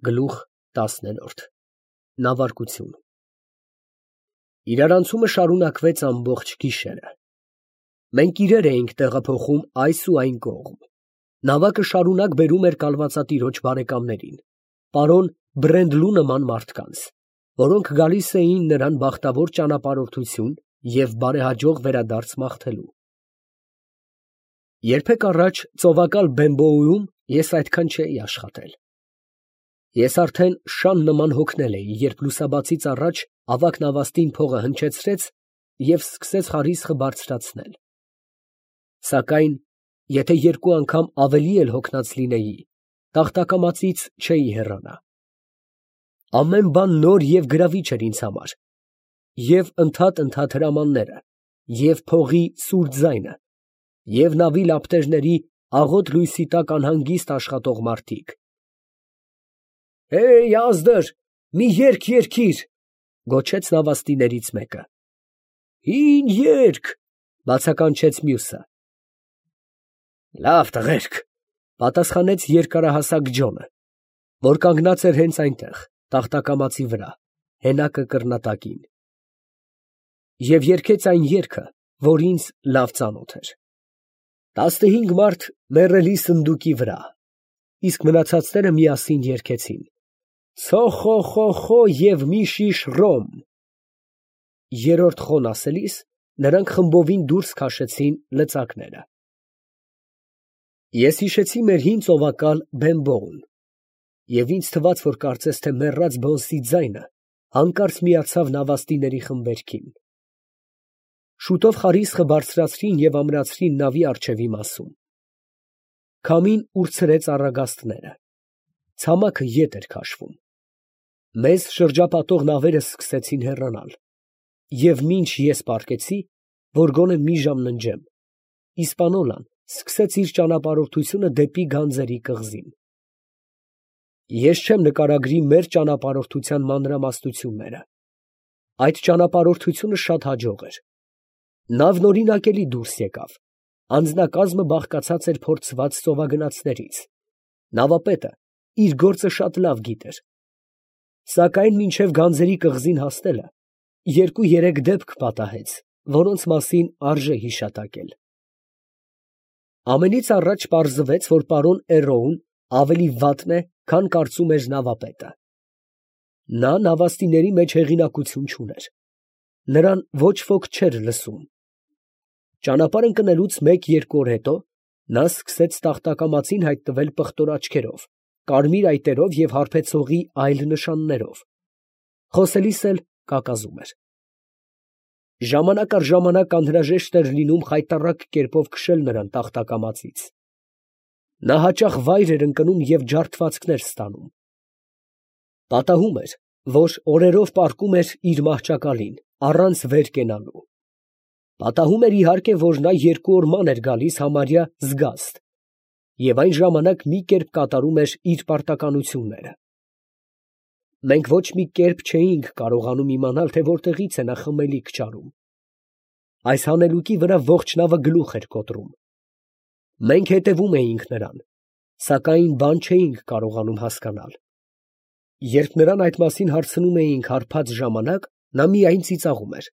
Գլուխ 10 Նավարկություն Իրարանցումը շարունակվեց ամբողջ գիշերը։ Մենք իրեր էինք տեղափոխում այս ու այն կողմ։ Նավակը շարունակ բերում էր կալվածատիրոջ բարեկամներին, պարոն Բրենդլու նման մարդկանց, որոնք գալիս էին նրան բախտավոր ճանապարհորդություն և բարեհաջող վերադարձ մաղթելու։ Երբեք առաջ ծովակալ Բեմբոուում ես այդքան չէի աշխատել։ Ես արդեն շան նման հոգնել էի, երբ լուսաբացից առաջ ավագ նավաստին փողը հնչեցրեց և սկսեց խարիսխը բարձրացնել։ Սակայն, եթե երկու անգամ ավելի էլ հոգնած լինեի, տախտակամածից չէի հեռանա։ Ամեն բան նոր և գրավիչ էր ինձ համար, և ընդհատ հրամանները, և փողի սուր ձայնը, և նավի լապտերների աղոտ լույսի տակ անհանգիստ աշխատող մարդիկ։ «Հեյ, ազդր, մի երգ երգիր», ֊ գոչեց նավաստիներից մեկը։ «Հին երգ», ֊ բացականչեց մյուսը։ «Լավ, տղերք», ֊ պատասխանեց երկարահասակ Ջոնը, որ կանգնած էր հենց այնտեղ, տախտակամածի վրա, հենակը կռնատակին։ Եվ երգեց այն երգը, որ ինձ լավ ծանոթ էր։ 15 մարդ մեռելի սնդուկի վրա, իսկ մնացածները միասին երգեցին. «Ցո խո խո խո և մի շիշ ռոմ»։ Երրորդ խոն ասելիս նրանք խմբովին դուրս քաշեցին լծակները։ Ես հիշեցի մեր հին ծովակալ Բեմբոուն, և ինձ թվաց, որ կարծես թե մեռած բոնսի ձայնը հանկարծ միացավ նավաստիների խմբերգին։ Շուտով խարիսխը բարձրացրին և ամրացրին նավի առջևի մասում։ Քամին ուրցրեց առագաստները։ Ցամաքը ետ էր քաշվում։ Մեզ շրջապատող նավերը սկսեցին հեռանալ, և մինչ ես պառկեցի, որ գոնե մի ժամ ննջեմ, իսպանոլան սկսեց իր ճանապարհորդությունը դեպի գանձերի կղզին։ Ես չեմ նկարագրի մեր ճանապարհորդության մանրամասնությունները։ Այդ ճանապարհորդությունը շատ հաջող էր։ Նավն օրինակելի դուրս եկավ, անձնակազմը բաղկացած էր փորձված ծովագնացներից, նավապետը իր գործը շատ լավ գիտեր։ Սակայն մինչև գանձերի կղզին հասնելը երկու֊երեք դեպք պատահեց, որոնց մասին արժե հիշատակել։ Ամենից առաջ պարզվեց, որ պարոն Էռոուն ավելի վատն է, քան կարծում էր նավապետը։ Նա նավաստիների մեջ հեղինակություն չուներ։ Նրան ոչ ոք չէր լսում։ Ճանապարհ ընկնելուց 1-2 օր հետո նա սկսեց տախտակամածին հայտնվել պղտոր աչքերով, կարմիր այտերով և հարբեցողի այլ նշաններով։ Խոսելիս էլ կակազում էր։ Ժամանակ առ ժամանակ անհրաժեշտ էր լինում խայտառակ կերպով քշել նրան տախտակամածից։ Նա հաճախ վայր էր ընկնում և ջարդվածքներ ստանում։ Պատահում էր, որ օրերով պառկում էր իր մահճակալին, առանց վեր կենալու։ Պատահում էր, իհարկե, որ նա 2 օր ման էր գալիս համարյա զգաստ, և այն ժամանակ մի կերպ կատարում էր իր պարտականությունները։ Մենք ոչ մի կերպ չէինք կարողանում իմանալ, թե որտեղից է նա խմելիք ճարում։ Այս հանելուկի վրա ողջ նավը գլուխ էր կոտրում։ Մենք հետևում էինք նրան, սակայն բան չէինք կարողանում հասկանալ։ Երբ նրան այդ մասին հարցնում էինք հարբած ժամանակ, նա միայն ծիծաղում էր,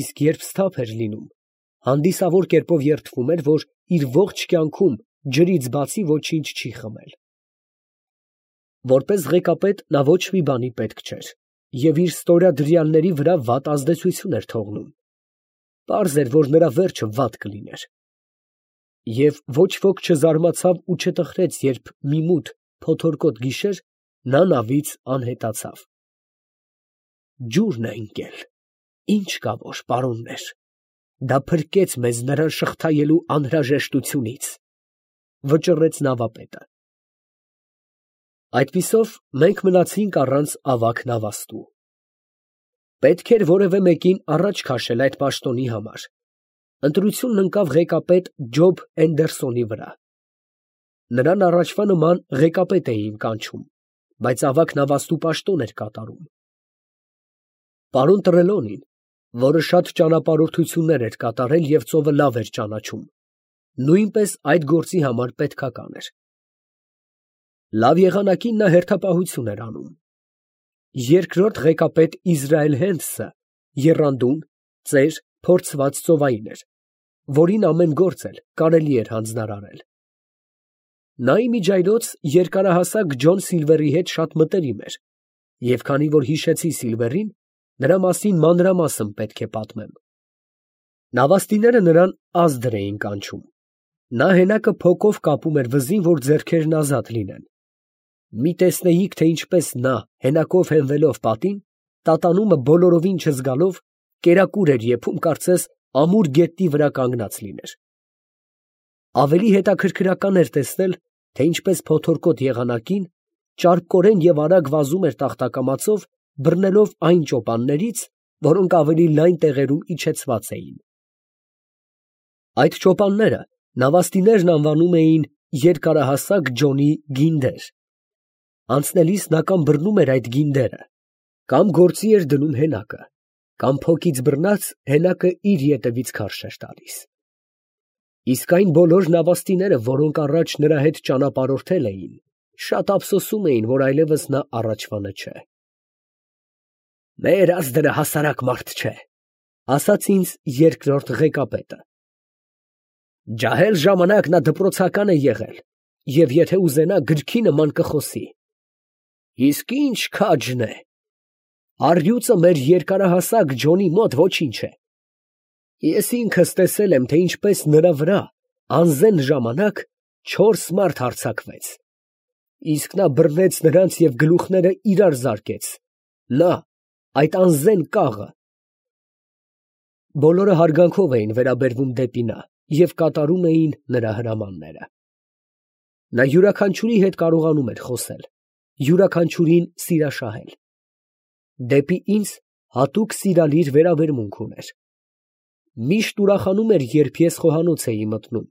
իսկ երբ սթափ էր լինում, հանդիսավոր կերպով երդվում էր, որ իր ողջ կյանքում ջրից բացի ոչինչ չի խմել։ Որպես ղեկապետ նա ոչ մի բանի պետք չէր և իր ստորադրյալների վրա վատ ազդեցություն էր թողնում։ Պարզ էր, որ նրա վերջը վատ կլիներ։ Եվ ոչ ոք չզարմացավ ու չտխրեց, երբ մի մութ փոթորկոտ գիշեր նա նավից անհետացավ։ «Ջուրն է ընկել, ինչ կա որ, պարոններ, դա փրկեց մեզ նրան շղթայելու անհրաժեշտությունից», ֊ վճռեց նավապետը։ Այդպիսով մենք մնացինք առանց ավագ նավաստու։ Պետք էր որևէ մեկին առաջ քաշել այդ պաշտոնի համար։ Ընտրությունն ընկավ ղեկապետ Ջոբ Էնդերսոնի վրա։ Նրան առաջվա նման ղեկապետ էին կանչում, բայց ավագ նավաստու պաշտոն էր կատարում։ Պարոն Տրելոնին, որը շատ ճանապարհորդություններ էր կատարել և ծովը լավ էր ճանաչում, նույնպես այդ գործի համար պետքական էր։ Լավ եղանակին նա հերթապահություն էր անում։ Երկրորդ ղեկապետ Իզրայել Հենդսը եռանդուն, ծեր, փորձված ծովային էր, որին ամեն գործ էլ կարելի էր հանձնարարել։ Նա իմիջայլոց երկարահասակ Ջոն Սիլվերի հետ շատ մտերիմ էր, և քանի որ հիշեցի Սիլվերին, նրա մասին մանրամասն պետք է պատմեմ։ Նավաստիները նրան Ազդր էին կանչում։ Նա հենակը փոկով կապում էր վզին, որ ձեռքերն ազատ լինեն։ Մի տեսնեիք, թե ինչպես նա, հենակով հենվելով պատին, տատանումը բոլորովին չզգալով, կերակուր էր եփում, կարծես ամուր գետնի վրա կանգնած լիներ։ Ավելի հետաքրքրական էր տեսնել, թե ինչպես փոթորկոտ եղանակին ճարպկորեն և արագ վազում էր տախտակամածով, բռնելով այն ճոպաններից, որոնք ավելի լայն տեղերում իջեցված էին։ Այդ ճոպանները նավաստիներն անվանում էին երկարահասակ Ջոնի գինդեր։ Անցնելիս նա կամ բռնում էր այդ գինդերը, կամ գործի էր դնում հենակը, կամ փոքից բռնած հենակը իր ետևից քարշ էր տալիս։ Իսկ այն բոլոր նավաստիները, որոնք առաջ նրա հետ ճանապարհորդել էին, շատ ափսոսում էին, որ այլևս նա առաջվանը չէ։ «Մեր Ազդրը հասարակ մարդ չէ», ասաց ինձ երկրորդ ղեկապետը։ «Ջահել ժամանակ նա դպրոցական է եղել, և եթե ուզենա գրքի նման կխոսի։ Իսկ ինչ քաջն է։ Առյուծը մեր երկարահասակ Ջոնի մոտ ոչինչ է։ Ես ինքս տեսել եմ, թե ինչպես նրա վրա անզեն ժամանակ 4 մարդ հարձակվեց։ Իսկ նա բռնեց նրանց և գլուխները իրար զարկեց, նա, այդ անզեն կաղը»։ Բոլորը հարգանքով էին վերաբերվում դեպի նա և կատարում էին նրա հրամանները։ Նա յուրաքանչյուրի հետ կարողանում էր խոսել, յուրաքանչյուրին սիրաշահել։ Դեպի ինձ հատուկ սիրալիր վերաբերմունք ուներ։ Միշտ ուրախանում էր, երբ ես խոհանոց էի մտնում,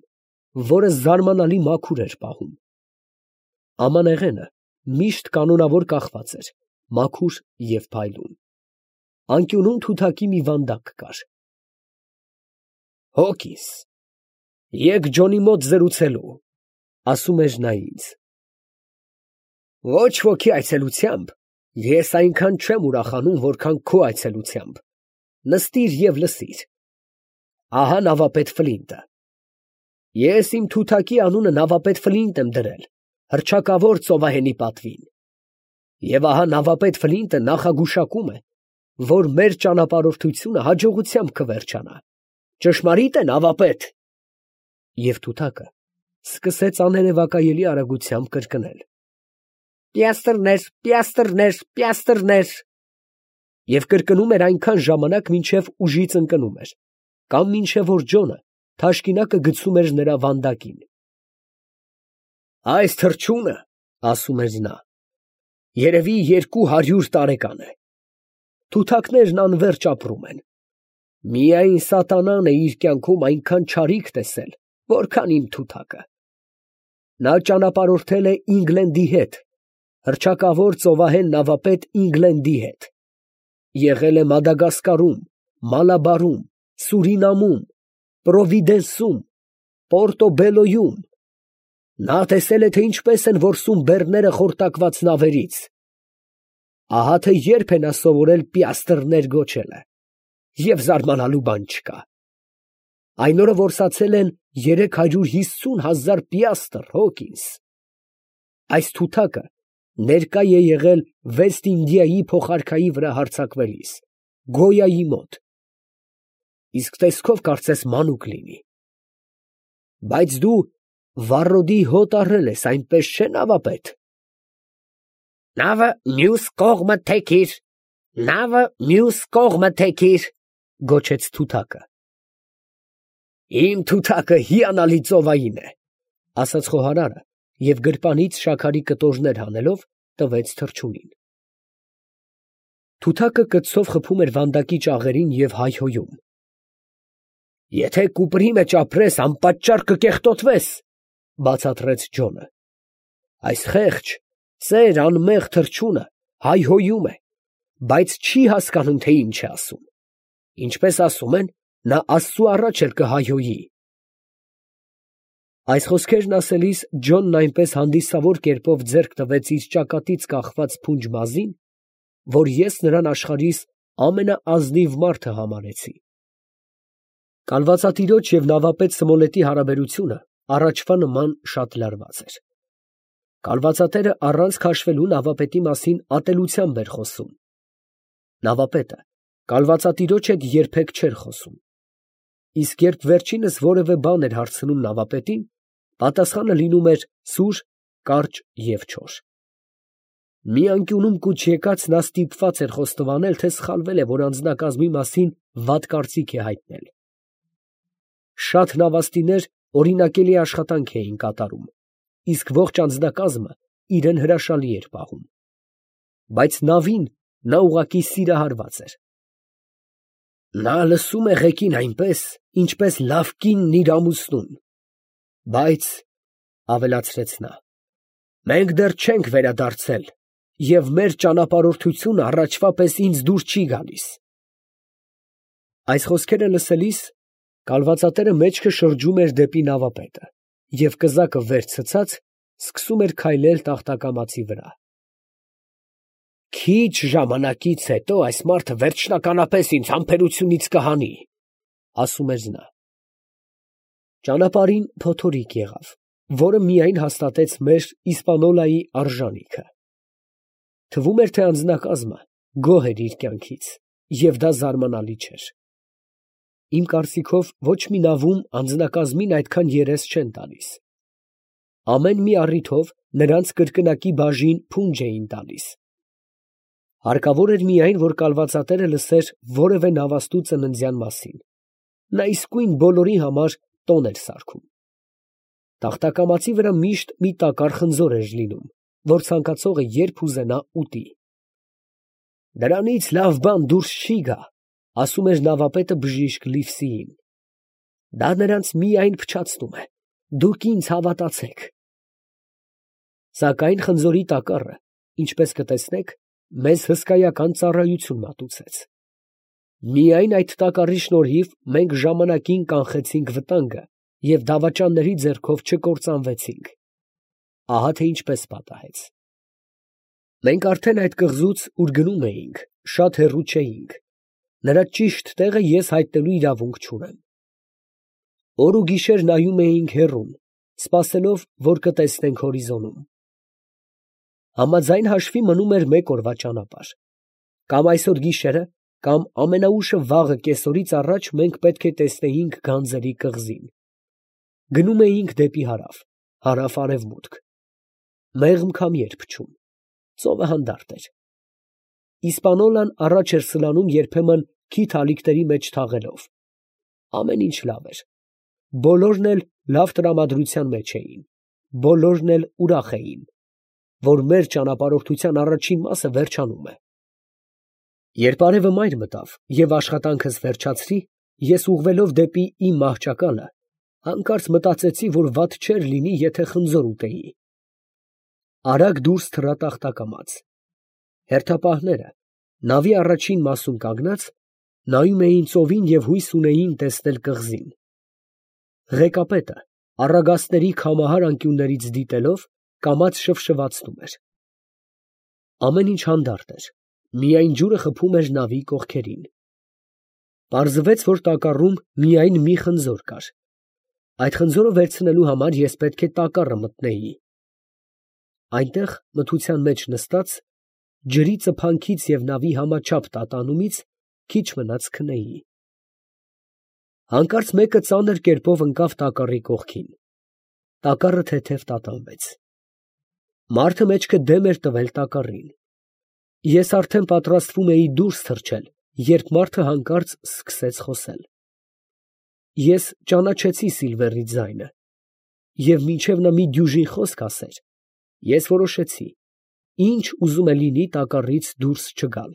որը զարմանալի մաքուր էր պահում։ Ամանեղենը միշտ կանոնավոր կախված էր, մաքուր և փայլուն։ Անկյունում թութակի մի վանդակ կար։ «Հոգիս, եկ Ջոնի մոտ զրուցելու», ասում էր նա ինձ։ «Ոչ ոքի այցելությամբ ես այնքան չեմ ուրախանում, որքան քո այցելությամբ. նստիր և լսիր։ Ահա նավապետ Ֆլինտը։ Ես իմ թութակի անունը նավապետ Ֆլինտ եմ դրել, հռչակավոր ծովահենի պատվին։ Եվ ահա նավապետ Ֆլինտը նախագուշակում է, որ մեր ճանապարհորդությունը հաջողությամբ կվերջանա։ Ճշմարի՞տ է, նավապետ»։ Եվ թութակը սկսեց աներևակայելի արագությամբ կրկնել. «Պիաստրներ, պիաստրներ, պիաստրներ»։ Եվ կրկնում էր այնքան ժամանակ, մինչև ուժից ընկնում էր, կամ մինչև որ Ջոնը թաշկինակը գցում էր նրա վանդակին։ «Այս թռչունը, ասում էր նա, երևի 200 տարեկան է։ Թութակներն անվերջ ապրում են։ Միայն սատանան է իր կյանքում այնքան չարիք տեսել, որքան իմ թութակը։ Նա ճանապարհորդել է Ինգլենդի հետ, հռչակավոր ծովահեն նավապետ Ինգլենդի հետ։ Եղել է Մադագասկարում, Մալաբարում, Սուրինամում, Պրովիդենսում, Պորտոբելոյում։ Նա տեսել է, թե ինչպես են որսում բեռները խորտակված նավերից։ Ահա թե երբ է նա սովորել պիաստրներ գոչելը, և զարմանալու բան չկա։ Այն օրը որսացել են 350,000 պիաստր, Հոկինս։ Այս թութակը ներկա է եղել Վեստ Ինդիայի փոխարքայի վրա հարձակվելիս, Գոյայի մոտ։ Իսկ տեսքով կարծես մանուկ լինի։ Բայց դու վառոդի հոտ առել ես, այնպես չէ՞, նավապետ։ «Նավը մյուս կողմը թեքիր, նավը մյուս կողմը թեքիր», գոչեց թութակը։ «Իմ թութակը հիանալի ծովային է», ասաց խոհարարը և գրպանից շաքարի կտորներ հանելով տվեց թռչունին։ Թութակը կծով խփում էր վանդակի ճաղերին և հայհոյում. «Եթե կուպրի մեջ ապրես, անպատճառ կկեղտոտվես», բացատրեց Ջոնը։ «Այս խեղճ, ծեր անմեղ թռչունը հայհոյում է, բայց չի հասկանում, թե ինչ է ասում։ Ինչպես ասում են, նա Աստծու առաջ էլ կհայհոյի»։ Այս խոսքերն ասելիս Ջոնն այնպես հանդիսավոր կերպով ձեռք տվեց իր ճակատից կախված փունջ մազին, որ ես նրան աշխարհիս ամենաազնիվ մարդը համարեցի։ Կալվածատիրոջ և նավապետ Սմոլետի հարաբերությունը առաջվա նման շատ լարված էր։ Կալվածատերը առանց քաշվելու նավապետի մասին ատելությամբ էր խոսում։ Նավապետը կալվածատիրոջ հետ երբեք չէր խոսում։ Իսկ երբ վերջինս որևէ բան էր հարցնում նավապետին, պատասխանը լինում էր սուր, կարճ և չոր։ Մի անկյունում կուչ եկած նա ստիպված էր խոստովանել, թե սխալվել է, որ անձնակազմի մասին վատ կարծիք է հայտնել։ Շատ նավաստիներ օրինակելի աշխատանք էին կատարում, իսկ ողջ անձնակազմը իրեն հրաշալի էր պահում։ Բայց նավին նա ուղղակի սիրահարված էր։ Նա լսում է ղեկին այնպես, ինչպես լավ կինն իր ամուսնուն, բայց, ավելացրեց նա, մենք դեռ չենք վերադարձել, և մեր ճանապարհորդությունը առաջվա պես ինձ դուր չի գալիս։ Այս խոսքերը լսելիս կալվածատերը մեջքը շրջում էր դեպի նավապետը և կզակը վեր ցցած սկսում էր քայլել տախտակամածի վրա։ Քիչ ժամանակից հետո այս մարդը վերջնականապես ինձ համբերությունից կհանի, ասում էր նա։ Ճանապարհին փոթորիկ եղավ, որը միայն հաստատեց մեր Իսպանոլայի արժանիքը։ Թվում էր, թե անձնակազմը գոհ էր իր կյանքից, և դա զարմանալի չէր։ Իմ կարծիքով ոչ մի նավում անձնակազմին այդքան երես չեն տալիս։ Ամեն մի առիթով նրանց կրկնակի բաժին փունջ էին տալիս։ Հարկավոր էր միայն, որ կալվածատերը լսեր որևէ նավաստու ծննդյան մասին։ Նա իսկույն բոլորի համար տոն էր սարքում։ Տախտակամածի վրա միշտ մի տակառ խնձոր էր լինում, որ ցանկացողը երբ ուզենա ուտի։ Դրանից լավ բան դուրս չի գա, ասում էր նավապետը բժիշկ Լիվսիին։ Դա նրանց միայն փչացնում է, դուք ինձ հավատացեք։ Սակայն խնձորի տակառը, ինչպես կտեսնեք, մեզ հսկայական ծառայություն մատուցեց։ Միայն այդ տակառի շնորհիվ մենք ժամանակին կանխեցինք վտանգը և դավաճանների ձեռքով չկործանվեցինք։ Ահա թե ինչպես պատահեց։ Մենք արդեն այդ կղզուց, ուր գնում էինք, շատ հեռու չէինք։ Նրա ճիշտ տեղը ես հայտնելու իրավունք չունեմ։ Օր ու գիշեր նայում էինք հեռուն, սպասելով, որ կտեսնենք հորիզոնում։ Համաձայն հաշվի մնում էր մեկ օրվա ճանապարհ։ Կամ այսօր գիշերը, կամ ամենաուշը վաղը կեսօրից առաջ մենք պետք է տեսնեինք գանձերի կղզին։ Գնում էինք դեպի հարավ, հարավ֊արևմուտք։ Մեղմ քամի էր փչում, ծովը հանդարտ էր։ Իսպանոլան առաջ էր սլանում երբեմն քիթ ալիքների մեջ թաղելով։ Ամեն ինչ լավ էր։ Բոլորն էլ լավ տրամադրության մեջ էին, բոլորն էլ ուրախ էին, որ մեր ճանապարհորդության առաջին մասը վերջանում է։ Երբ արևը մայր մտավ և աշխատանքս վերջացրի, ես ուղղվելով դեպի իմ մահճակալը, հանկարծ մտածեցի, որ վատ չէր լինի, եթե խնձոր ուտեի։ Արագ դուրս թռա տախտակամաց։ Հերթապահները, նավի առաջին մասում կանգնած, նայում էին ծովին և հույս ունեին տեսնել կղզին։ Ղեկապետը, առագաստների քամահար անկյուններից դիտելով, կամաց շվշվացնում էր։ Ամեն ինչ հանդարտ էր, միայն ջուրը խփում էր նավի կողքերին։ Պարզվեց, որ տակառում միայն մի խնձոր կար։ Այդ խնձորը վերցնելու համար ես պետք է տակառը մտնեի։ Այնտեղ, մթության մեջ նստած, ջրի ծփանքից և նավի համաչափ տատանումից քիչ մնաց քնեի։ Հանկարծ մեկը ծանր կերպով ընկավ տակառի կողքին։ Տակառը թեթև տատանվեց։ Մարդը մեջքը դեմ էր տվել տակառին։ Ես արդեն պատրաստվում էի դուրս թռչել, երբ մարդը հանկարծ սկսեց խոսել։ Ես ճանաչեցի Սիլվերի ձայնը, և մինչև նա մի դյուժին խոսք ասեր, ես որոշեցի, ինչ ուզում է լինի տակառից դուրս չգալ։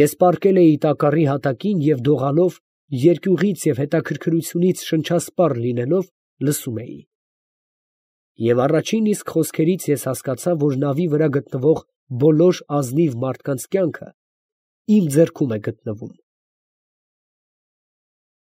Ես պառկել էի տակառի հատակին և դողալով, երկյուղից և հետաքրքրությունից շնչասպառ լինելով, լսում էի։ Եվ առաջին իսկ խոսքերից ես հասկացա, որ նավի վրա գտնվող բոլոր ազնիվ մարդկանց կյանքը իմ ձեռքում է գտնվում։